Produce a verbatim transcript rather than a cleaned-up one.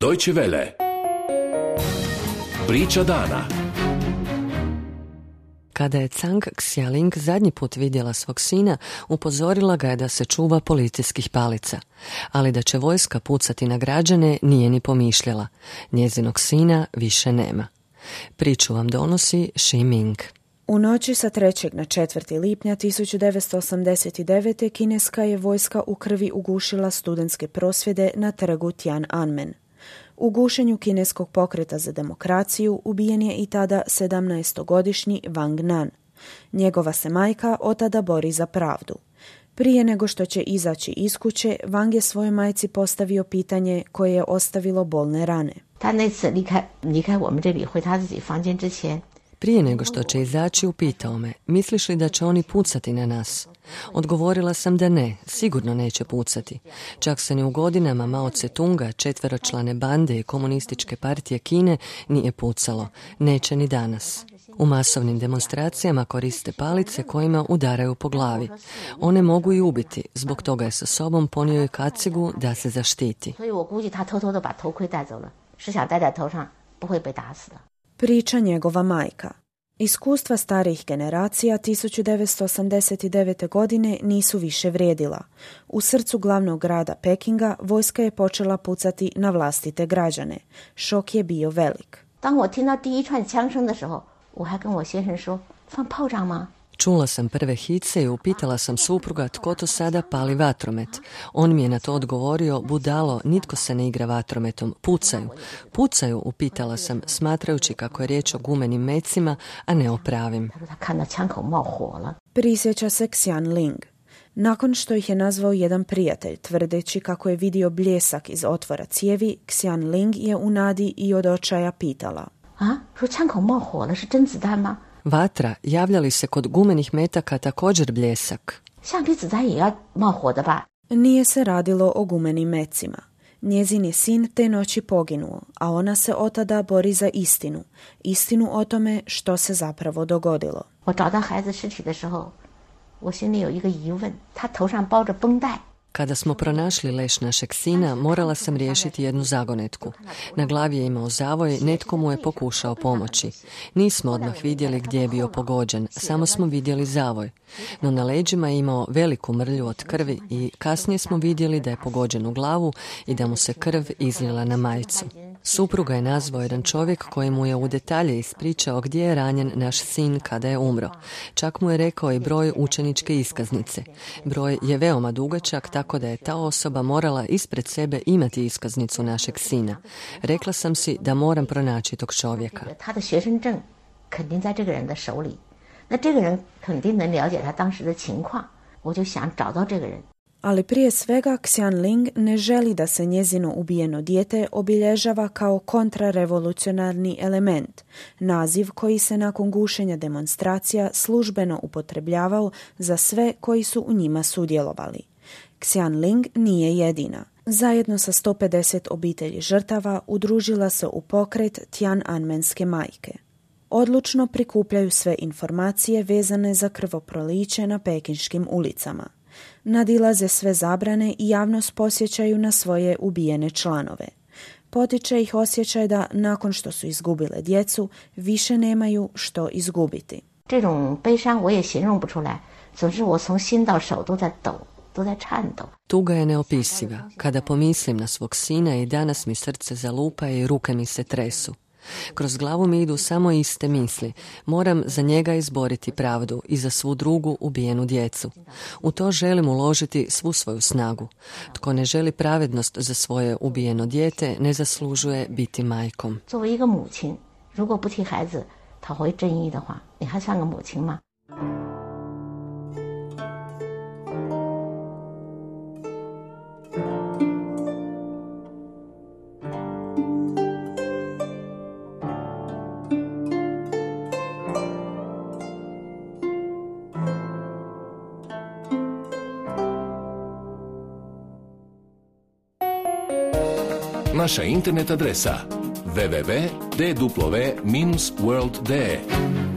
Deutsche Welle. Priča dana. Kada je Zhang Xialing zadnji put vidjela svog sina, upozorila ga je da se čuva policijskih palica. Ali da će vojska pucati na građane nije ni pomišljala. Njezinog sina više nema. Priču vam donosi Shi Ming. U noći sa trećeg na četvrti lipnja tisuću devetsto osamdeset devete. kineska je vojska u krvi ugušila studentske prosvjede na trgu Tiananmen. U gušenju kineskog pokreta za demokraciju ubijen je i tada sedamnaestogodišnji Wang Nan. Njegova se majka od tada bori za pravdu. Prije nego što će izaći iz kuće, Wang je svojoj majci postavio pitanje koje je ostavilo bolne rane. Prije nego što će izaći, upitao me, misliš li da će oni pucati na nas? Odgovorila sam da ne, sigurno neće pucati. Čak se ni u godinama Mao Tse-tunga, četveročlane bande i komunističke partije Kine nije pucalo. Neće ni danas. U masovnim demonstracijama koriste palice kojima udaraju po glavi. One mogu i ubiti, zbog toga je sa sobom ponio i kacigu da se zaštiti. Priča njegova majka. Iskustva starijih generacija tisuću devetsto osamdeset devete. godine nisu više vrijedila. U srcu glavnog grada Pekinga vojska je počela pucati na vlastite građane. Šok je bio velik. Čula sam prve hice i upitala sam supruga tko to sada pali vatromet. On mi je na to odgovorio, budalo, nitko se ne igra vatrometom, pucaju. Pucaju, upitala sam, smatrajući kako je riječ o gumenim mecima, a ne o pravim. Prisjeća se Xian Ling. Nakon što ih je nazvao jedan prijatelj, tvrdeći kako je vidio bljesak iz otvora cijevi, Xian Ling je u nadi i od očaja pitala. A? Vatra, javlja li se kod gumenih metaka također bljesak? Nije se radilo o gumenim mecima. Njezin je sin te noći poginuo, a ona se od tada bori za istinu. Istinu o tome što se zapravo dogodilo. Kada smo pronašli leš našeg sina, morala sam riješiti jednu zagonetku. Na glavi je imao zavoj, netko mu je pokušao pomoći. Nismo odmah vidjeli gdje je bio pogođen, samo smo vidjeli zavoj. No na leđima je imao veliku mrlju od krvi i kasnije smo vidjeli da je pogođen u glavu i da mu se krv izlila na majicu. Supruga je nazvao jedan čovjek koji mu je u detalje ispričao gdje je ranjen naš sin kada je umro. Čak mu je rekao i broj učeničke iskaznice. Broj je veoma dugačak, tako da je ta osoba morala ispred sebe imati iskaznicu našeg sina. Rekla sam si da moram pronaći tog čovjeka. Ali prije svega Xian Ling ne želi da se njezino ubijeno dijete obilježava kao kontrarevolucionarni element, naziv koji se nakon gušenja demonstracija službeno upotrebljavao za sve koji su u njima sudjelovali. Xian Ling nije jedina. Zajedno sa sto pedeset obitelji žrtava udružila se u pokret Tiananmenske majke. Odlučno prikupljaju sve informacije vezane za krvoproliće na pekinškim ulicama. Nadilaze sve zabrane i javnost posjećaju na svoje ubijene članove. Potiče ih osjećaj da nakon što su izgubile djecu, više nemaju što izgubiti. Tuga je neopisiva. Kada pomislim na svog sina i danas mi srce zalupa i ruke mi se tresu. Kroz glavu mi idu samo iste misli. Moram za njega izboriti pravdu i za svu drugu ubijenu djecu. U to želim uložiti svu svoju snagu. Tko ne želi pravednost za svoje ubijeno dijete, ne zaslužuje biti majkom. Naša internet adresa w w w tačka d w minus world punkt d e